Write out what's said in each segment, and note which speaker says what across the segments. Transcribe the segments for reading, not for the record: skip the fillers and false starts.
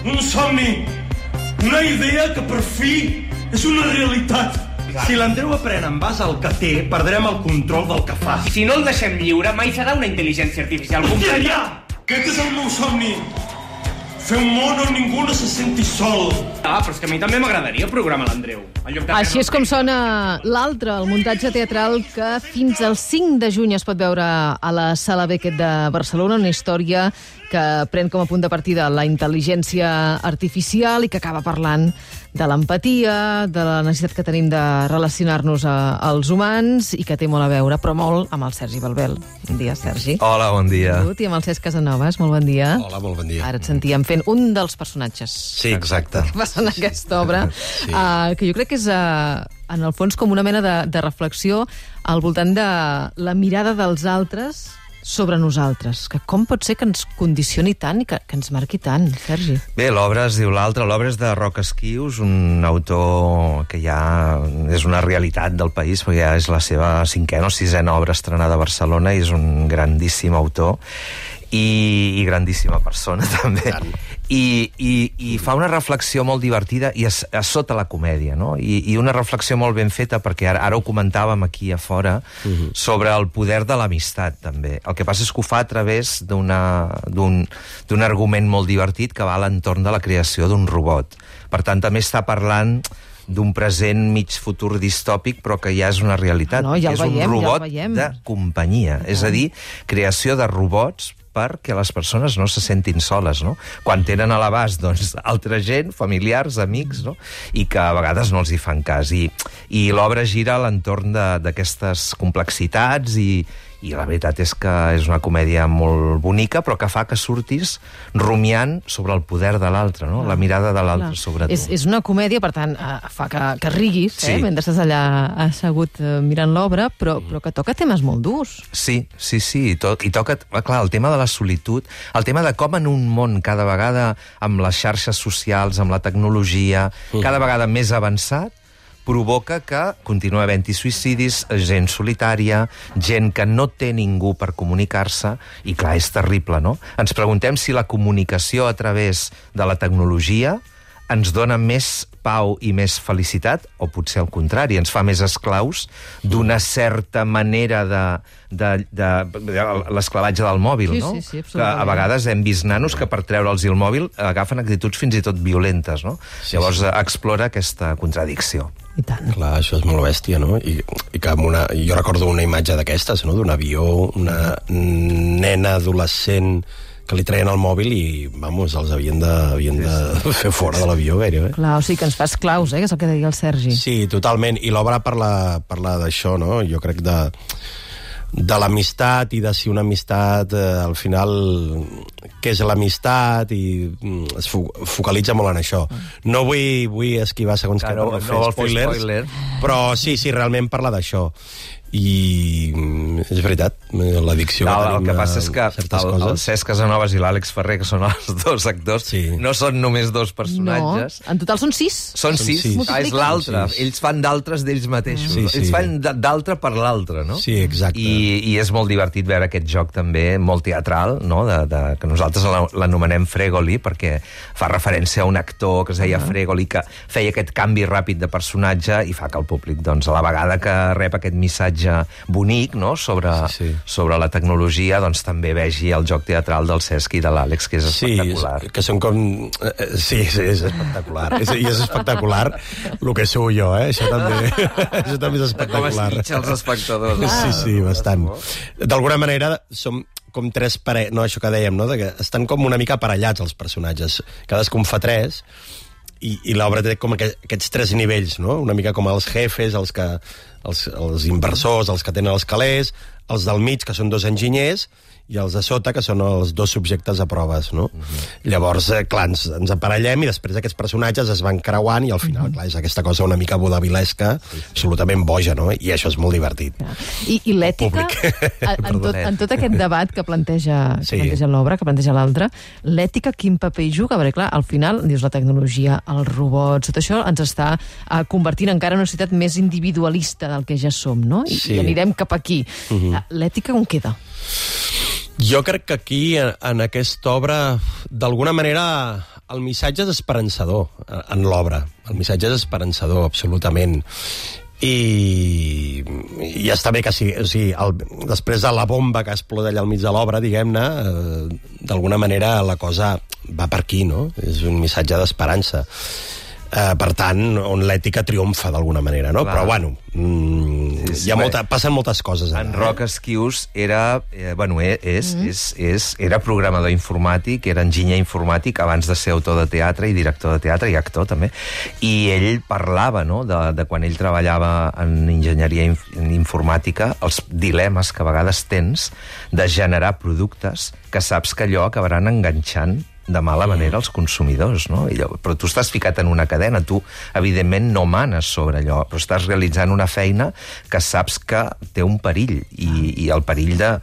Speaker 1: un somni, una idea que per fi és una realitat.
Speaker 2: Si l'Andreu aprèn en base al que té, perdrem el control del que fa.
Speaker 3: Si no el deixem lliure, mai serà una intel·ligència artificial.
Speaker 1: Ja! Aquest és el meu somni. Fer un món on ningú no se senti sol.
Speaker 3: Però és que a mi també m'agradaria programar l'Andreu.
Speaker 4: Així és com sona l'altre, el muntatge teatral que fins al 5 de juny es pot veure a la Sala Beckett de Barcelona, una història que pren com a punt de partida la intel·ligència artificial i que acaba parlant de l'empatia, de la necessitat que tenim de relacionar-nos als humans i que té molt a veure, però molt, amb el Sergi Balbel. Bon dia, Sergi.
Speaker 5: Hola, bon dia.
Speaker 4: I amb el Cesc Casanovas, molt bon dia.
Speaker 6: Hola, molt bon dia.
Speaker 4: Ara et sentíem fent un dels personatges.
Speaker 6: Sí, exacte.
Speaker 4: Que passa en aquesta obra, sí. Que jo crec que és, en el fons, com una mena de reflexió al voltant de la mirada dels altres sobre nosaltres, que com pot ser que ens condicioni tant i que ens marqui tant, Sergi?
Speaker 5: Bé, l'obra es diu L'altre, l'obra és de Roc Esquius, un autor que ja és una realitat del país, perquè ja és la seva 5ª o 6ª obra estrenada a Barcelona i és un grandíssim autor i grandíssima persona, també. I fa una reflexió molt divertida i a sota la comèdia, no? I una reflexió molt ben feta, perquè ara ho comentàvem aquí a fora, sobre el poder de l'amistat, també. El que passa és que ho fa a través d'un argument molt divertit que va a l'entorn de la creació d'un robot. Per tant, també està parlant d'un present mig futur distòpic, però que ja és una realitat.
Speaker 4: Ja
Speaker 5: és un robot de companyia. És a dir, creació de robots perquè les persones no se sentin soles, no? Quan tenen a l'abast, doncs, altra gent, familiars, amics, no? I que a vegades no els hi fan cas. I l'obra gira a l'entorn d'aquestes complexitats i la veritat és que és una comèdia molt bonica, però que fa que surtis rumiant sobre el poder de l'altre, no? La mirada de l'altre sobre tu.
Speaker 4: És una comèdia, per tant, fa que riguis, mentre estàs allà assegut mirant l'obra, però que toca temes molt durs.
Speaker 5: Sí, i toca, clar, el tema de la solitud, el tema de com en un món cada vegada amb les xarxes socials, amb la tecnologia, cada vegada més avançat, provoca que continua havent-hi suïcidis, gent solitària, gent que no té ningú per comunicar-se, i clar, és terrible, no? Ens preguntem si la comunicació a través de la tecnologia ens dona més pau i més felicitat, o potser al contrari, ens fa més esclaus d'una certa manera de l'esclavatge del mòbil, no?
Speaker 4: Sí,
Speaker 5: que a vegades hem vist nanos que per treure'ls el mòbil agafen actituds fins i tot violentes, no? Llavors explora aquesta contradicció.
Speaker 4: I tant.
Speaker 6: Clar, això és molt bèstia, no? I que jo recordo una imatge d'aquestes, no? D'un avió, una nena adolescent que li traien el mòbil i, vamos, els havien de fer fora de l'avió gairebé.
Speaker 4: Clar, o sigui que ens fa esclaus, que és el que deia el Sergi.
Speaker 6: Sí, totalment. I l'obra parla d'això, no? Jo crec de l'amistat i de si una amistat, al final, què és l'amistat, i es focalitza molt en això. No vull esquivar segons què per fer spoilers, però sí, realment parla d'això. I és veritat, l'addicció
Speaker 5: el que passa és que el Cesc Casanovas i l'Àlex Ferrer, que són els dos actors, no són només dos personatges.
Speaker 4: No, en total són 6.
Speaker 5: Són 6. És l'altre. Ells fan d'altres d'ells mateixos. Ells fan d'altre per l'altre, no?
Speaker 6: Sí, exacte.
Speaker 5: I és molt divertit veure aquest joc també, molt teatral, no? Que nosaltres l'anomenem Fregoli, perquè fa referència a un actor que es deia Fregoli, que feia aquest canvi ràpid de personatge i fa que el públic, doncs, a la vegada que rep aquest missatge bonic, no?, sobre la tecnologia, doncs també vegi el joc teatral del Cesc i de l'Àlex, que és espectacular.
Speaker 6: Sí, que són com... Sí, és espectacular. I és espectacular el que sou jo, Això també és espectacular.
Speaker 5: Com es mitja els espectadors.
Speaker 6: Sí, bastant. D'alguna manera som com tres parelles, no, això que dèiem, no?, que estan com una mica aparellats els personatges. Cadascun fa 3, i l'obra té com aquests 3 nivells, no? Una mica com els jefes, els inversors, els que tenen els calés, els del mig, que són 2 enginyers, i els de sota, que són els 2 subjectes a proves, no? Llavors, clar, ens aparellem i després aquests personatges es van creuant i al final, clar, és aquesta cosa una mica vodavilesca, absolutament boja, no? I això és molt divertit.
Speaker 4: I l'ètica, en tot aquest debat que planteja l'obra, que planteja l'altre, l'ètica quin paper hi juga? Perquè, clar, al final, dius, la tecnologia, els robots, tot això ens està convertint encara en una societat més individualista del que ja som, no? I anirem cap aquí. L'ètica on queda?
Speaker 6: Jo crec que aquí, en aquesta obra, d'alguna manera el missatge és esperançador en l'obra. El missatge és esperançador, absolutament. I està bé que sigui, o sigui, després de la bomba que explota allà al mig de l'obra, diguem-ne, d'alguna manera la cosa va per aquí, no? És un missatge d'esperança. Per tant, on l'ètica triomfa d'alguna manera, no? Clar. Però, bueno, passen moltes coses.
Speaker 5: En Roc Esquius era, era programador informàtic, era enginyer informàtic abans de ser autor de teatre i director de teatre i actor, també. I ell parlava, no?, de quan ell treballava en enginyeria informàtica, els dilemes que a vegades tens de generar productes que saps que allò acabaran enganxant de mala manera els consumidors, no? Però tu estàs ficat en una cadena, tu, evidentment, no manes sobre allò, però estàs realitzant una feina que saps que té un perill, i el perill de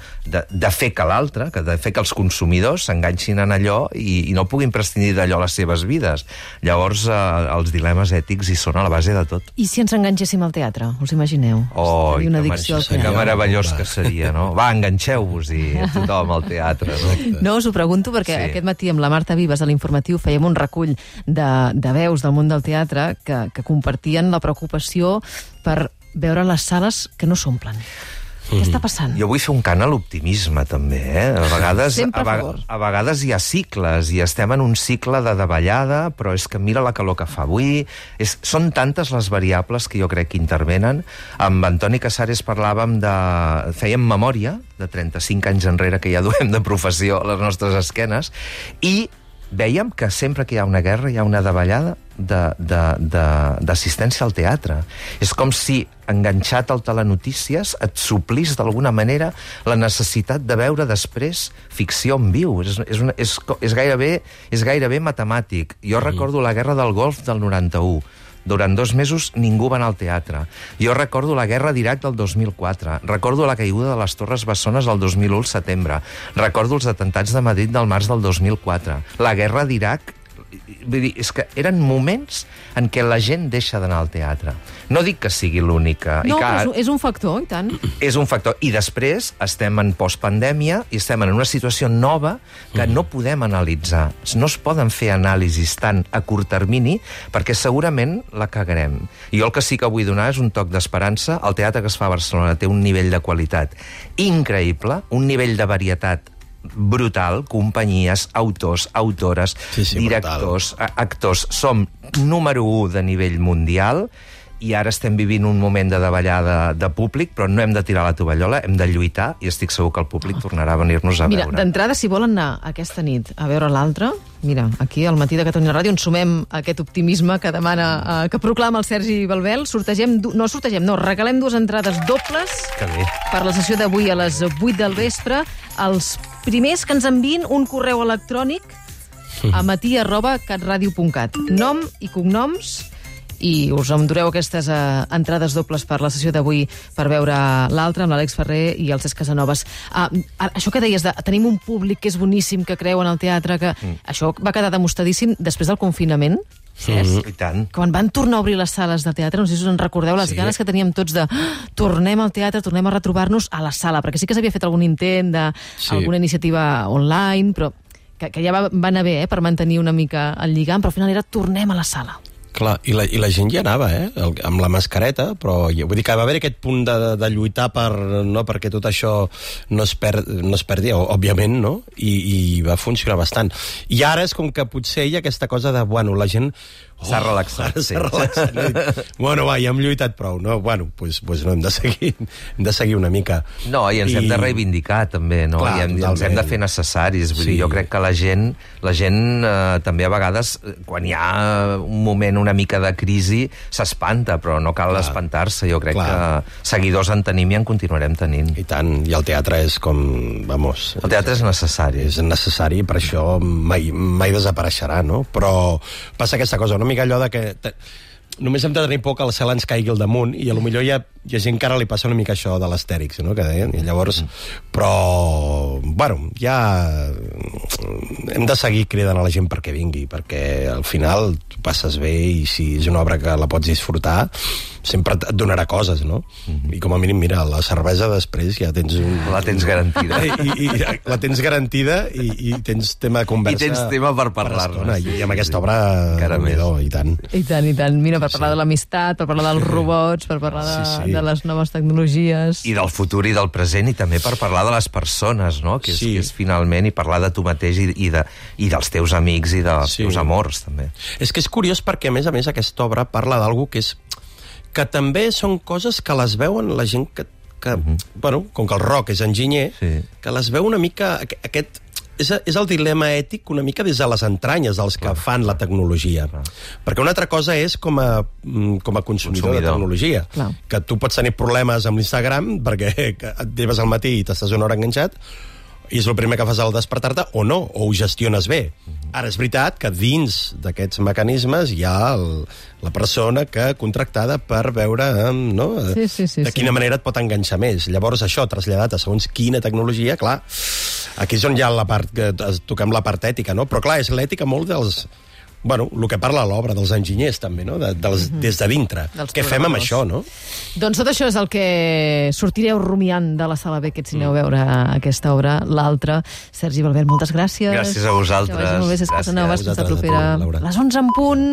Speaker 5: fer que l'altre, de fer que els consumidors s'enganxin en allò i no puguin prescindir d'allò a les seves vides. Llavors, els dilemes ètics hi són a la base de tot.
Speaker 4: I si ens enganxéssim al teatre? Us imagineu?
Speaker 5: Oh, que meravellós que seria, no? Va, enganxeu-vos-hi a tothom al teatre, no?
Speaker 4: No, us ho pregunto perquè aquest matí amb la Marta Vives a l'Informatiu fèiem un recull de veus del món del teatre que compartien la preocupació per veure les sales que no s'omplen. Què està passant?
Speaker 5: Jo vull fer un cant a l'optimisme, també, A vegades hi ha cicles, i estem en un cicle de davallada, però és que mira la calor que fa avui. Són tantes les variables que jo crec que intervenen. Amb Antoni Casares fèiem memòria de 35 anys enrere que ja duem de professió a les nostres esquenes, i vèiem que sempre que hi ha una guerra hi ha una davallada d'assistència al teatre. És com si, enganxat al telenotícies, et suplís d'alguna manera la necessitat de veure després ficció en viu. És gairebé matemàtic. Jo recordo la Guerra del Golf del 91. Durant 2 mesos ningú va anar al teatre. Jo recordo la guerra d'Iraq del 2004. Recordo la caiguda de les Torres Bessones el 2001 al setembre. Recordo els atentats de Madrid del març del 2004. La guerra d'Iraq... Vull dir, és que eren moments en què la gent deixa d'anar al teatre. No dic que sigui l'única.
Speaker 4: No, però és un factor, i tant.
Speaker 5: És un factor. I després estem en postpandèmia i estem en una situació nova que no podem analitzar. No es poden fer anàlisis tant a curt termini perquè segurament la cagarem. I jo el que sí que vull donar és un toc d'esperança. El teatre que es fa a Barcelona té un nivell de qualitat increïble, un nivell de varietat brutal, companyies, autors, autores, directors, actors. Som número 1 de nivell mundial i ara estem vivint un moment de davallada de públic, però no hem de tirar la tovallola, hem de lluitar i estic segur que el públic tornarà a venir-nos a veure.
Speaker 4: Mira, d'entrada, si volen anar aquesta nit a veure l'altre, mira, aquí al Matí de Catalunya Ràdio ens sumem a aquest optimisme que demana, que proclama el Sergi Balbel. Regalem 2 entrades dobles per la sessió d'avui a les 8 del vespre. Els primers que ens enviïn un correu electrònic a matí@catradio.cat. Nom i cognoms, i us endureu aquestes entrades dobles per la sessió d'avui per veure l'altre amb l'Àlex Ferrer i el Cesc Casanovas. Això que deies de tenim un públic que és boníssim, que creu en el teatre, que això va quedar demostradíssim després del confinament.
Speaker 5: I tant.
Speaker 4: Quan van tornar a obrir les sales de teatre, no sé si us en recordeu les ganes que teníem tots de tornem al teatre, tornem a retrobar-nos a la sala, perquè sí que s'havia fet algun intent d'alguna iniciativa online, però que ja va anar bé per mantenir una mica el lligam, però al final era tornem a la sala.
Speaker 6: Clar, i la gent hi anava, amb la mascareta, però vull dir que va haver aquest punt de lluitar perquè tot això no es perdi, òbviament, no? I va funcionar bastant. I ara és com que potser hi ha aquesta cosa de, bueno, la gent...
Speaker 5: S'ha relaxat.
Speaker 6: Bueno, va, ja hem lluitat prou, no? Bueno, doncs no, hem de seguir una mica.
Speaker 5: No, i ens hem de reivindicar, també, no? Clar, i ens hem de fer necessaris. Vull dir, jo crec que la gent també a vegades, quan hi ha un moment una mica de crisi, s'espanta, però no cal espantar-se. Jo crec que seguidors en tenim i en continuarem tenint.
Speaker 6: I tant, i el teatre és com... Vamos...
Speaker 5: El teatre és necessari.
Speaker 6: És necessari, per això mai desapareixerà, no? Però passa aquesta cosa, una mica allò de que només hem de tenir por que la cel ens caigui al damunt i potser ja hi ha gent que ara li passa una mica això de l'Astèrix, no?, que deien, i llavors... Però, bueno, ja hem de seguir cridant a la gent perquè vingui, perquè al final tu passes bé i si és una obra que la pots disfrutar, sempre et donarà coses, no? I com a mínim, mira, la cervesa després ja tens
Speaker 5: La tens garantida.
Speaker 6: I la tens garantida i tens tema de conversa.
Speaker 5: I tens tema per parlar-ne.
Speaker 6: I amb aquesta obra, i tant.
Speaker 4: I tant, i tant. Mira, per parlar de l'amistat, per parlar dels robots, per parlar de les noves tecnologies...
Speaker 5: I del futur i del present, i també per parlar de les persones, no? Que és finalment, i parlar de tu mateix i dels teus amics i dels teus amors, també.
Speaker 6: És que és curiós perquè, a més, aquesta obra parla d'algú que també són coses que les veuen la gent que bueno, com que el Roc és enginyer, que les veu una mica... És el dilema ètic una mica des de les entranyes dels que fan la tecnologia. Perquè una altra cosa és com a consumidor de tecnologia. Que tu pots tenir problemes amb l'Instagram perquè et lleves al matí i t'estàs una hora enganxat i és el primer que fas al despertar-te, o no, o ho gestiones bé. Ara, és veritat que dins d'aquests mecanismes hi ha la persona que contractada per veure de quina manera et pot enganxar més. Llavors, això, traslladat a segons quina tecnologia, clar, aquí és on hi ha la part, que toquem la part ètica, no? Però, clar, és l'ètica molt dels... Bueno, el que parla l'obra dels enginyers, també, no? Des de dintre. Què fem amb això, no?
Speaker 4: Doncs tot això és el que sortireu rumiant de la Sala Beckett si aneu a veure aquesta obra, l'altra. Sergi Balbert, moltes gràcies.
Speaker 5: Gràcies a vosaltres.
Speaker 4: Que vagi molt bé, és que aneu a la propera. Les 11 en punt.